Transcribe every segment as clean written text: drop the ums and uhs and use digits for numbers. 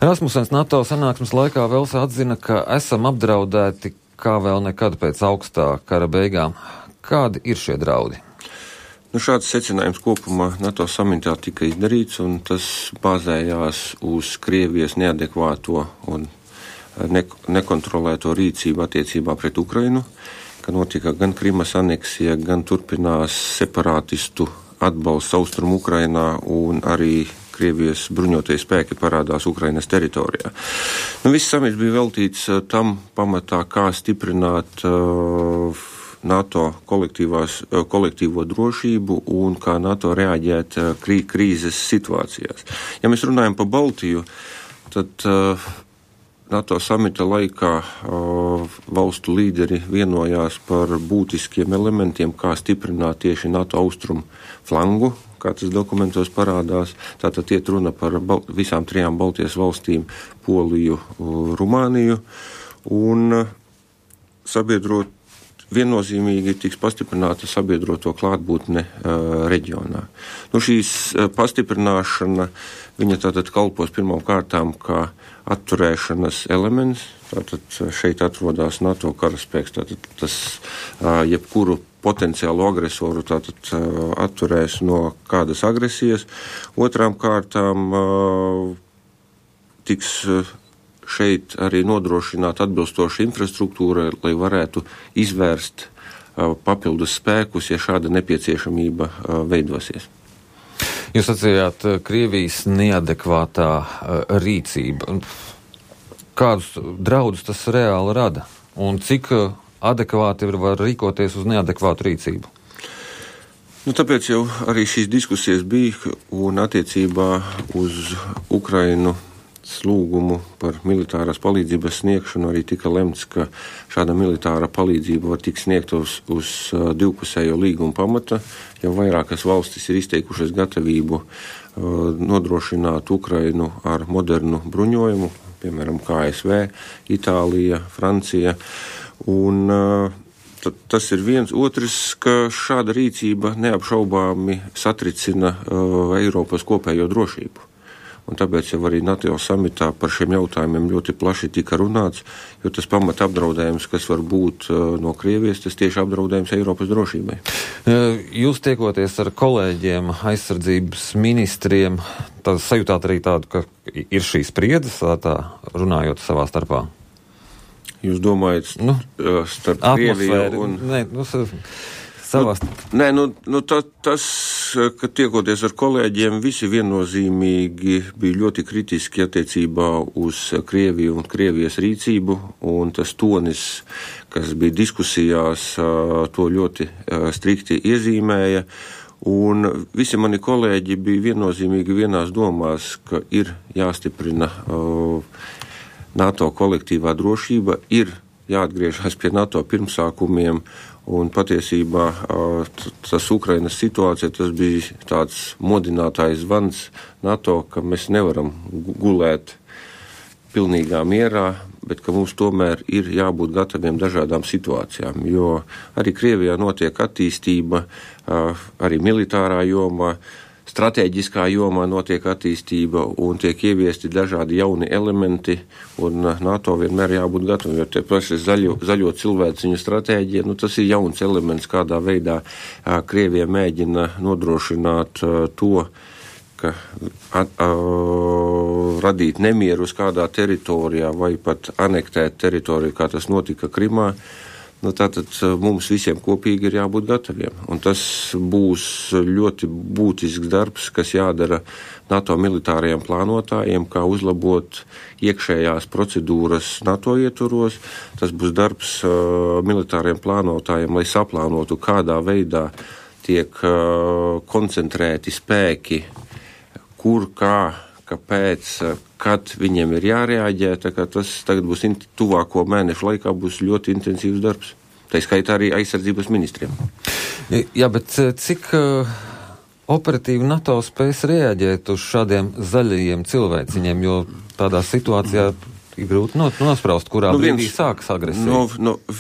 Rasmussens NATO sanāksmes laikā Velsā atzina, ka esam apdraudēti kā vēl nekad pēc augstā kara beigām. Kādi ir šie draudi? Šāds secinājums kopumā NATO samitā tika izdarīts, un tas bāzējās uz Krievijas neadekvāto un nekontrolēto rīcību attiecībā pret Ukrainu, ka notika gan Krimas aneksija, gan turpinās separātistu atbalsts Austrumu Ukrainā un arī Krievijas bruņotie spēki parādās Ukrainas teritorijā. Viss samits bija veltīts tam pamatā, kā stiprināt NATO kolektīvo drošību un kā NATO reaģēt krīzes situācijās. Ja mēs runājam par Baltiju, tad NATO samita laikā valstu līderi vienojās par būtiskiem elementiem, kā stiprināt tieši NATO austrumu flangu, kā tas dokumentos parādās. Tātad iet runa par visām 3 Baltijas valstīm - Poliju, Rumāniju, un viennozīmīgi tiks pastiprināta sabiedroto klātbūtne reģionā. Šīs pastiprināšana, viņa tātad kalpos pirmām kārtām kā atturēšanas elements. Tātad šeit atrodas NATO karaspēks, tātad tas jebkuru potenciālu agresoru tātad atturēs no kādas agresijas. Otrām kārtām tiks šeit arī nodrošināt atbilstošu infrastruktūru, lai varētu izvērst papildus spēkus, ja šāda nepieciešamība veidosies. Jūs atsījāt Krievijas neadekvātā rīcība. Kādus draudus tas reāli rada? Un cik adekvāti var rīkoties uz neadekvātu rīcību? Tāpēc jau arī šīs diskusijas bija, un attiecībā uz Ukrainu lūgumu par militārās palīdzības sniegšanu arī tika lemts, ka šāda militāra palīdzība var tikt sniegta uz divpusējo līgumu pamata. Jau vairākas valstis ir izteikušas gatavību nodrošināt Ukrainu ar modernu bruņojumu, piemēram, ASV, Itālija, Francija. Un tas ir viens. Otrs, ka šāda rīcība neapšaubāmi satricina Eiropas kopējo drošību. Un tāpēc jau arī NATO samitā par šiem jautājumiem ļoti plaši tika runāts, jo tas pamata apdraudējums, kas var būt no Krievijas, tas tieši apdraudējums Eiropas drošībai. Jūs tiekoties ar kolēģiem, aizsardzības ministriem, tad sajūtāt arī tādu, ka ir šī spriedzes, tā runājot savā starpā? Jūs domājat starp Krieviju un... Tas, ka tiekoties ar kolēģiem, visi viennozīmīgi bija ļoti kritiski attiecībā uz Krieviju un Krievijas rīcību, un tas tonis, kas bija diskusijās, to ļoti strikti iezīmēja, un visi mani kolēģi bija viennozīmīgi vienās domās, ka ir jāstiprina NATO kolektīvā drošība, ir jāatgriežas pie NATO pirmsākumiem, un patiesībā tas Ukrainas situācija, tas bija tāds modinātājs zvans NATO, ka mēs nevaram gulēt pilnīgā mierā, bet ka mums tomēr ir jābūt gataviem dažādām situācijām, jo arī Krievijā notiek attīstība, arī militārā jomā, stratēģiskā jomā notiek attīstība un tiek ieviesti dažādi jauni elementi, un NATO vienmēr jābūt gataviem, jo tie paši zaļo cilvēciņu stratēģija, tas ir jauns elements, kādā veidā Krievija mēģina nodrošināt to, ka radīt nemieru uz kādā teritorijā vai pat anektēt teritoriju, kā tas notika Krimā. Tātad mums visiem kopīgi ir jābūt gataviem. Un tas būs ļoti būtisks darbs, kas jādara NATO militārajiem plānotājiem, kā uzlabot iekšējās procedūras NATO ietvaros. Tas būs darbs militāriem plānotājiem, lai saplānotu, kādā veidā tiek koncentrēti spēki, kur, kā, kāpēc, kad viņiem ir jārēģē, tā kā tas tagad būs tuvāko mēnešu laikā būs ļoti intensīvs darbs. Tā skaitā arī aizsardzības ministriem. Jā, bet cik operatīvi NATO spēs reaģēt uz šādiem zaļajiem cilvēciņiem, jo tādā situācijā ir grūti nospraust, kurā brīdī sākas agresija.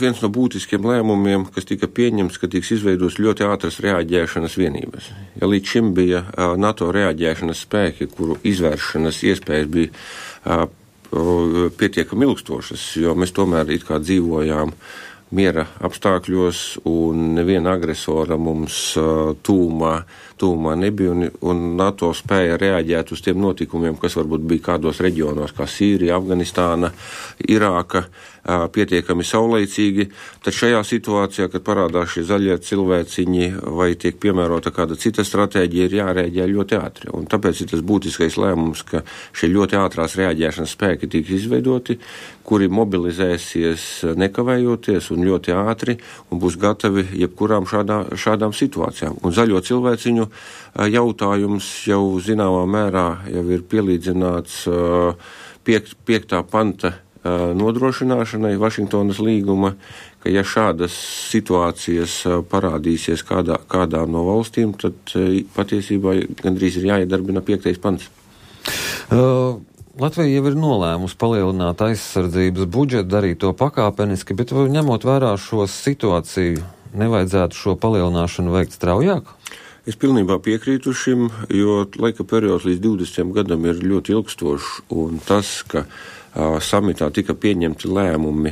Viens no būtiskiem lēmumiem, kas tika pieņemts, ka tiks izveidots ļoti ātras reaģēšanas vienības. Ja līdz šim bija NATO reaģēšanas spēki, kuru izvēršanas iespējas bija pietiekami ilgstošas, jo mēs tomēr it kā dzīvojām miera apstākļos, un neviena agresora mums tūmā nebija, un NATO spēja reaģēt uz tiem notikumiem, kas varbūt bija kādos reģionos, kā Sīrija, Afganistāna, Irāka, pietiekami saulaicīgi, tad šajā situācijā, kad parādās šie zaļie cilvēciņi vai tiek piemērota kāda cita stratēģija, ir jārēģē ļoti ātri. Un tāpēc ir tas būtiskais lēmums, ka šie ļoti ātrās reaģēšanas spēki tiks izveidoti, kuri mobilizēsies nekavējoties un ļoti ātri un būs gatavi jebkurām šādām situācijām. Un zaļo cilvēciņu jautājums jau zināmā mērā jau ir pielīdzināts 5. panta nodrošināšanai Vašingtonas līguma, ka ja šādas situācijas parādīsies kādā no valstīm, tad patiesībā gandrīz ir jāiedarbina 5. pants. Latvija jau ir nolēmusi palielināt aizsardzības budžetu, darīt to pakāpeniski, bet ņemot vērā šo situāciju, nevajadzētu šo palielināšanu veikt straujāk? Es pilnībā piekrītu šim, jo laika periods līdz 20 gadam ir ļoti ilgstošs, un tas, ka samitā tika pieņemti lēmumi,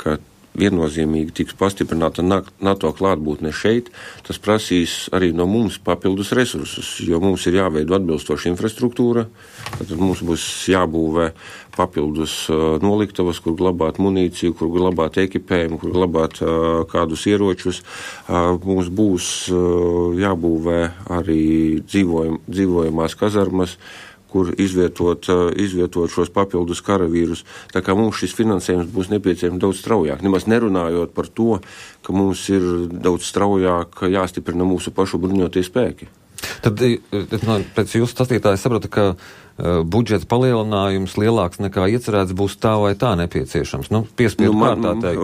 ka viennozīmīgi tiks pastiprināta NATO klātbūtne šeit, tas prasīs arī no mums papildus resursus, jo mums ir jāveido atbilstoša infrastruktūra, tad mums būs jābūvē papildus noliktavas, kur glabāt munīciju, kur glabāt ekipējumu, kur glabāt kādus ieročus. Mums būs jābūvē arī dzīvojamās kazarmas, kur izvietot šos papildus karavīrus. Tā kā mums šis finansējums būs nepieciešams daudz straujāk. Nemaz nerunājot par to, ka mums ir daudz straujāk jāstiprina mūsu pašu bruņotie spēki. Tad pēc jūsu stāstītāja sapratu, ka budžeta palielinājums lielāks nekā iecerēts būs tā vai tā nepieciešams. Piespiedu kārtā teikt.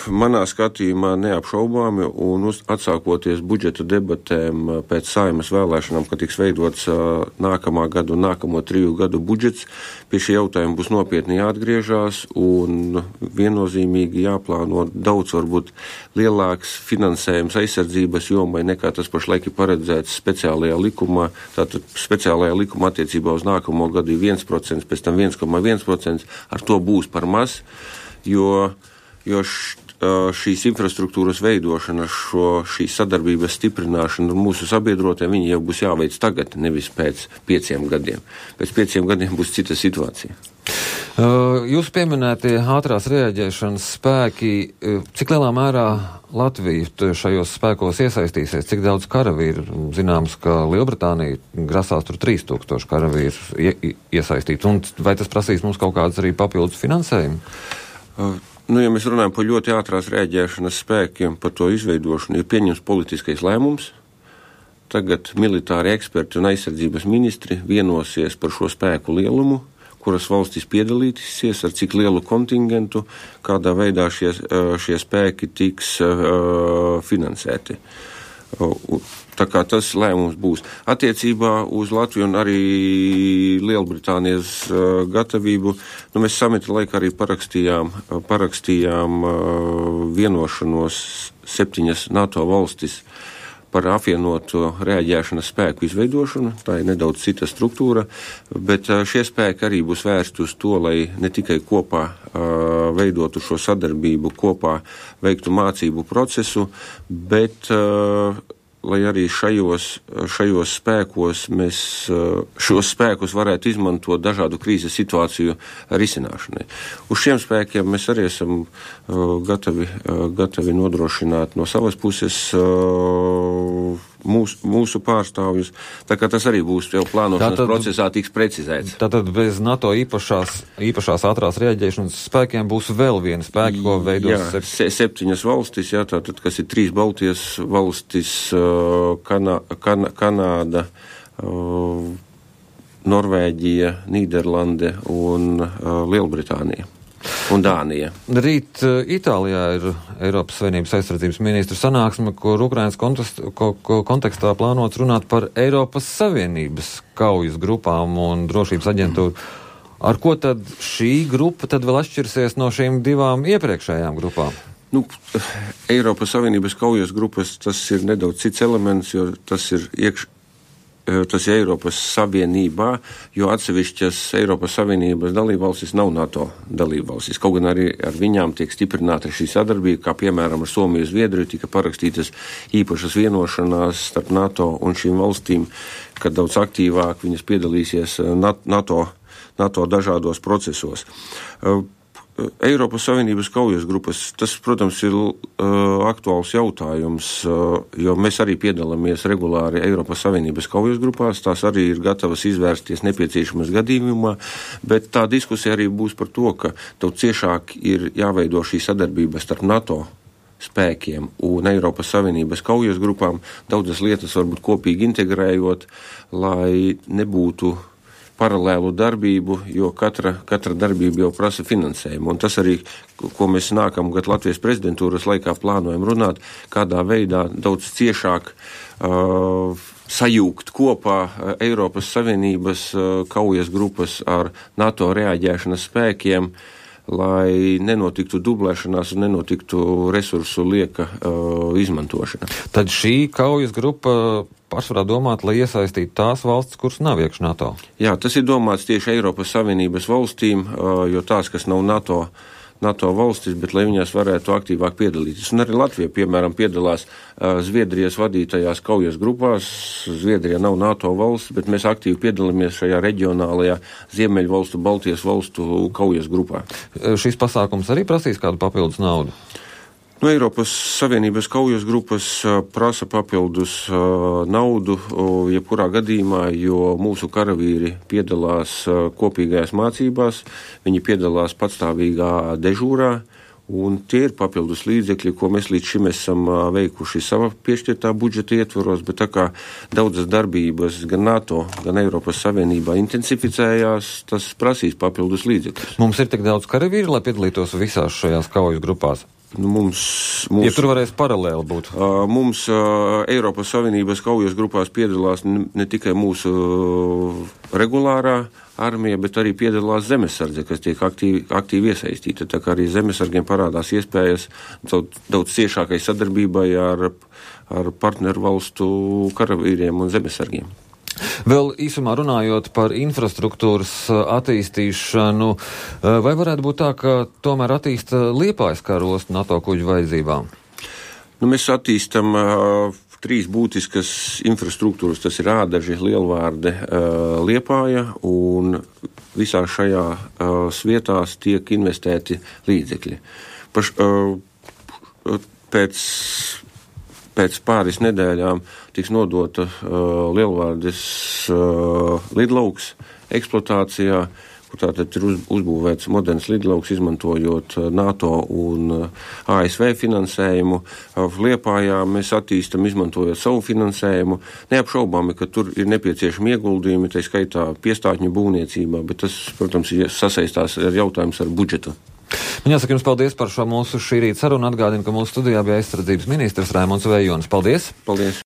Manā skatījumā neapšaubāmi, un atsākoties budžeta debatēm pēc Saeimas vēlēšanām, kad tiks veidots nākamā gada un nākamo 3 gadu budžets, pie šī jautājuma būs nopietni jāatgriežās un viennozīmīgi jāplāno daudz varbūt lielāks finansējums aizsardzības jomai nekā tas pašlaik ir paredzēts speciālajā likumā. Tātad speciālajā likuma attiecībā uz nākamo gadu ir 1%, pēc tam 1,1%, ar to būs par maz, jo šīs infrastruktūras veidošana, šīs sadarbības stiprināšana un mūsu sabiedrotiem, viņi jau būs jāveic tagad, nevis pēc 5 gadiem. Pēc 5 gadiem būs cita situācija. Jūs pieminētie ātrās reaģēšanas spēki, cik lielā mērā Latvija šajos spēkos iesaistīsies, cik daudz karavīru? Zināms, ka Lielbritānija grasās tur 3000 karavīru iesaistīt, un vai tas prasīs mums kaut kādas arī papildus finansējumu? Ja mēs runājam par ļoti ātrās reaģēšanas spēkiem, par to izveidošanu, ir pieņems politiskais lēmums. Tagad militāri eksperti un aizsardzības ministri vienosies par šo spēku lielumu, kuras valstis piedalīsies, ar cik lielu kontingentu, kādā veidā šie spēki tiks finansēti. Tā kā tas lēmums būs. Attiecībā uz Latviju un arī Lielbritānijas gatavību, mēs samita laikā arī parakstījām vienošanos 7 NATO valstis par apvienoto reaģēšanas spēku izveidošanu. Tā ir nedaudz cita struktūra, bet šie spēki arī būs vērsti uz to, lai ne tikai kopā veidotu šo sadarbību, kopā veiktu mācību procesu, bet lai arī šajos spēkos mēs šos spēkus varētu izmantot dažādu krīzes situāciju risināšanai. Uz šiem spēkiem mēs arī esam gatavi nodrošināt no savas puses mūsu pārstāvjus, tā kā tas arī būs jau plānošanas procesā tiks precizēts. Tātad bez NATO īpašās ātrās reaģēšanas spēkiem būs vēl viena spēka, ko veidos 7 valstis, tātad, kas ir 3 Baltijas valstis, Kanāda, Norvēģija, Nīderlande un Lielbritānija. Un Dānija. Rīt Itālijā ir Eiropas Savienības aizsardzības ministru sanāksme, kur Ukrainas kontekstā plānots runāt par Eiropas Savienības kaujas grupām un drošības aģentūru. Ar ko tad šī grupa tad vēl atšķirsies no šīm 2 iepriekšējām grupām? Eiropas Savienības kaujas grupas, tas ir nedaudz cits elements, jo tas ir tas ir Eiropas Savienībā, jo atsevišķas Eiropas Savienības dalībvalstis nav NATO dalībvalstis. Kaut gan arī ar viņām tiek stiprināta šī sadarbība, kā piemēram ar Somiju, Zviedriju tika parakstītas īpašas vienošanās starp NATO un šīm valstīm, kad daudz aktīvāk viņas piedalīsies NATO dažādos procesos. Eiropas Savienības kaujas grupas, tas, protams, ir aktuāls jautājums, jo mēs arī piedalāmies regulāri Eiropas Savienības kaujas grupās, tās arī ir gatavas izvērsties nepieciešamas gadījumā, bet tā diskusija arī būs par to, ka daudz ciešāk ir jāveido šī sadarbība starp NATO spēkiem un Eiropas Savienības kaujas grupām, daudzas lietas varbūt kopīgi integrējot, lai nebūtu paralēlu darbību, jo katra darbība jau prasa finansējumu. Un tas arī, ko mēs nākamgad Latvijas prezidentūras laikā plānojam runāt, kādā veidā daudz ciešāk sajūgt kopā Eiropas Savienības kaujas grupas ar NATO reaģēšanas spēkiem, lai nenotiktu dublēšanās un nenotiktu resursu lieka izmantošana. Tad šī kaujas grupa pārsvarā domāt, lai iesaistītu tās valstis, kuras nav iekš NATO? Jā, tas ir domāts tieši Eiropas Savienības valstīm, jo tās, kas nav NATO valstis, bet lai viņās varētu aktīvāk piedalīties. Un arī Latvija, piemēram, piedalās Zviedrijas vadītajās kaujas grupās. Zviedrija nav NATO valsts, bet mēs aktīvi piedalāmies šajā reģionālajā Ziemeļu valstu, Baltijas valstu kaujas grupā. Šis pasākums arī prasīs kādu papildus naudu? Eiropas Savienības kaujas grupas prasa papildus naudu, jebkurā gadījumā, jo mūsu karavīri piedalās kopīgajās mācībās, viņi piedalās patstāvīgā dežūrā, un tie ir papildus līdzekļi, ko mēs līdz šim esam veikuši sava piešķirtā budžeta ietvaros, bet tā kā daudzas darbības gan NATO, gan Eiropas Savienībā intensificējās, tas prasīs papildus līdzekļus. Mums ir tik daudz karavīri, lai piedalītos visās šajās kaujas grupās? Ja tur varēs paralēli būt. Mums Eiropas Savienības kaujas grupās piedalās ne tikai mūsu regulārā armija, bet arī piedalās zemesardze, kas tiek aktīvi iesaistīta. Tā kā arī zemesargiem parādās iespējas daudz ciešākai sadarbībai ar partneru valstu karavīriem un zemesargiem. Vēl īsumā runājot par infrastruktūras attīstīšanu, vai varētu būt tā, ka tomēr attīsta Liepājas kara ostu NATO kuģu vajadzībām? Mēs attīstam 3 būtiskas infrastruktūras, tas ir Ādaži, Lielvārde, Liepāja, un visās šajās vietās tiek investēti līdzekļi. Pēc pāris nedēļām tiks nodota Lielvārdes lidlauks eksploatācijā, kur tātad ir uzbūvēts moderns lidlauks, izmantojot NATO un ASV finansējumu. Liepājā mēs attīstam, izmantojot savu finansējumu. Neapšaubāmi, ka tur ir nepieciešami ieguldījumi, tā skaitā piestātņu būvniecībā, bet tas, protams, sasaistās ar jautājums ar budžetu. Man jāsaka jums paldies par šo mūsu šī rīta sarunu. Atgādinu, ka mūsu studijā bija aizsardzības ministrs Raimonds Vejonis. Paldies! Paldies!